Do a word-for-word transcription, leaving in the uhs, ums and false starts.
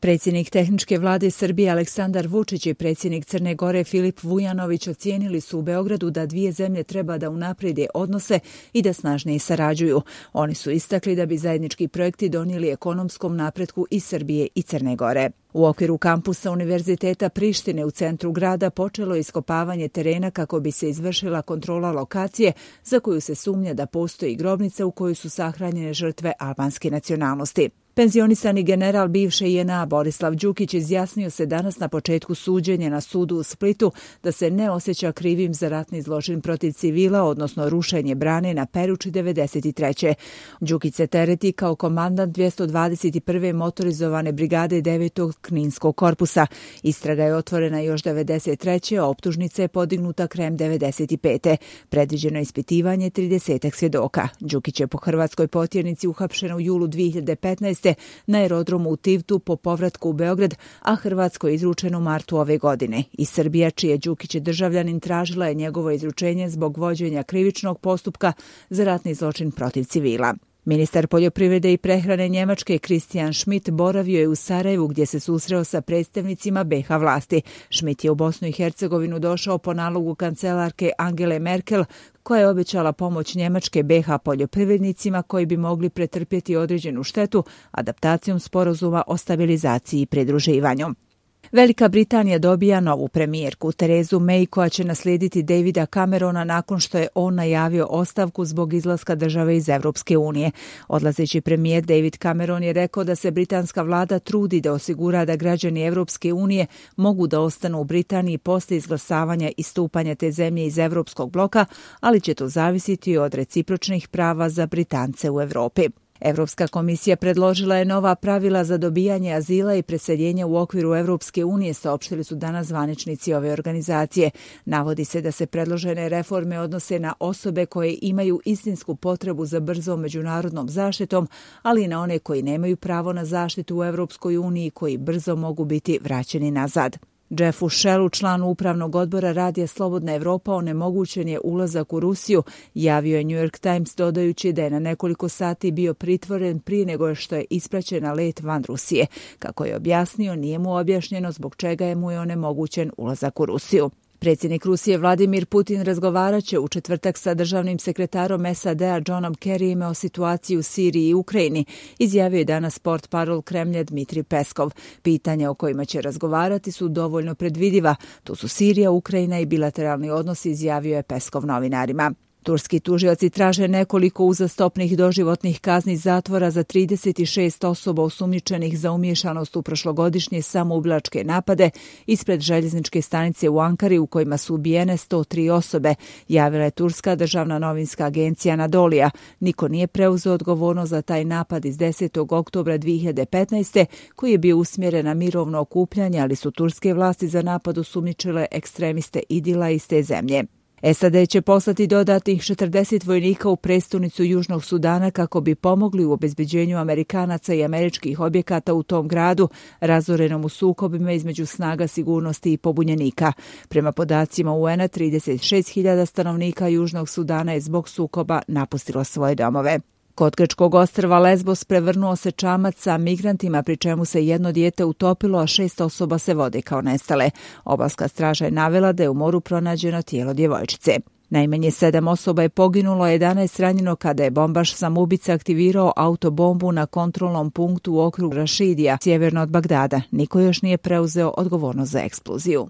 Predsjednik tehničke vlade Srbije Aleksandar Vučić i predsjednik Crne Gore Filip Vujanović ocijenili su u Beogradu da dvije zemlje treba da unaprede odnose i da snažnije sarađuju. Oni su istakli da bi zajednički projekti donijeli ekonomskom napretku i Srbije i Crne Gore. U okviru kampusa Univerziteta Prištine u centru grada počelo je iskopavanje terena kako bi se izvršila kontrola lokacije za koju se sumnja da postoji grobnica u kojoj su sahranjene žrtve albanske nacionalnosti. Penzionisani general bivše J N A Borislav Đukić izjasnio se danas na početku suđenja na sudu u Splitu da se ne osjeća krivim za ratni zločin protiv civila, odnosno rušenje brane na Peruči devedeset treće. Đukić se tereti kao komandant dvjesto dvadeset prve motorizovane brigade devetog Kninskog korpusa. Istraga je otvorena još devedeset treće, a optužnica je podignuta krajem devedeset pete. Predviđeno je ispitivanje tridesetak svjedoka. Đukić je po hrvatskoj potjernici uhapšen u julu dvije hiljade petnaeste. na aerodromu u Tivtu po povratku u Beograd, a Hrvatsko je izručeno u martu ove godine. I Srbija, čije Đukić je državljanin, tražila je njegovo izručenje zbog vođenja krivičnog postupka za ratni zločin protiv civila. Ministar poljoprivrede i prehrane Njemačke Christian Schmidt boravio je u Sarajevu gdje se susreo sa predstavnicima B iH vlasti. Schmidt je u Bosnu i Hercegovinu došao po nalogu kancelarke Angele Merkel, koja je obećala pomoć Njemačke B iH poljoprivrednicima koji bi mogli pretrpjeti određenu štetu adaptacijom sporazuma o stabilizaciji i pridruživanju. Velika Britanija dobija novu premijerku, Terezu May, koja će naslijediti Davida Camerona nakon što je on najavio ostavku zbog izlaska države iz Europske unije. Odlazeći premijer David Cameron je rekao da se britanska vlada trudi da osigura da građani Europske unije mogu da ostanu u Britaniji poslije izglasavanja i stupanja te zemlje iz Europskog bloka, ali će to zavisiti od recipročnih prava za Britance u Europi. Europska komisija predložila je nova pravila za dobijanje azila i preseljenja u okviru Europske unije, saopštili su danas zvaničnici ove organizacije. Navodi se da se predložene reforme odnose na osobe koje imaju istinsku potrebu za brzom međunarodnom zaštitom, ali i na one koji nemaju pravo na zaštitu u Europskoj uniji, koji brzo mogu biti vraćeni nazad. Jeffu Shellu, članu upravnog odbora Radija Slobodna Evropa, onemogućen je ulazak u Rusiju, javio je New York Times dodajući da je na nekoliko sati bio pritvoren prije nego što je ispraćen na let van Rusije. Kako je objasnio, nije mu objašnjeno zbog čega je mu je onemogućen ulazak u Rusiju. Predsjednik Rusije Vladimir Putin razgovarat će u četvrtak sa državnim sekretarom S A D-a Johnom Kerryjem o situaciji u Siriji i Ukrajini, izjavio je danas portparol Kremlja Dmitrij Peskov. Pitanja o kojima će razgovarati su dovoljno predvidiva. To su Sirija, Ukrajina i bilateralni odnosi, izjavio je Peskov novinarima. Turski tužioci traže nekoliko uzastopnih doživotnih kazni zatvora za trideset šest osoba osumnjičenih za umiješanost u prošlogodišnje samoubilačke napade ispred željezničke stanice u Ankari u kojima su ubijene sto tri osobe, javila je turska državna novinska agencija Anadolija. Niko nije preuzeo odgovornost za taj napad iz desetog oktobra dvije hiljade petnaeste koji je bio usmjeren na mirovno okupljanje, ali su turske vlasti za napad osumnjičile ekstremiste Idila iz te zemlje. S A D će poslati dodatnih četrdeset vojnika u prestonicu Južnog Sudana kako bi pomogli u obezbeđenju Amerikanaca i američkih objekata u tom gradu, razorenom u sukobima između snaga sigurnosti i pobunjenika. Prema podacima U N a, trideset šest hiljada stanovnika Južnog Sudana je zbog sukoba napustilo svoje domove. Kod grčkog ostrva Lesbos prevrnuo se čamac sa migrantima, pri čemu se jedno dijete utopilo, a šest osoba se vode kao nestale. Obalska straža je navela da je u moru pronađeno tijelo djevojčice. Najmanje sedam osoba je poginulo, a jedanaest ranjeno kada je bombaš samoubica aktivirao autobombu na kontrolnom punktu u okrugu Rašidija, sjeverno od Bagdada. Niko još nije preuzeo odgovornost za eksploziju.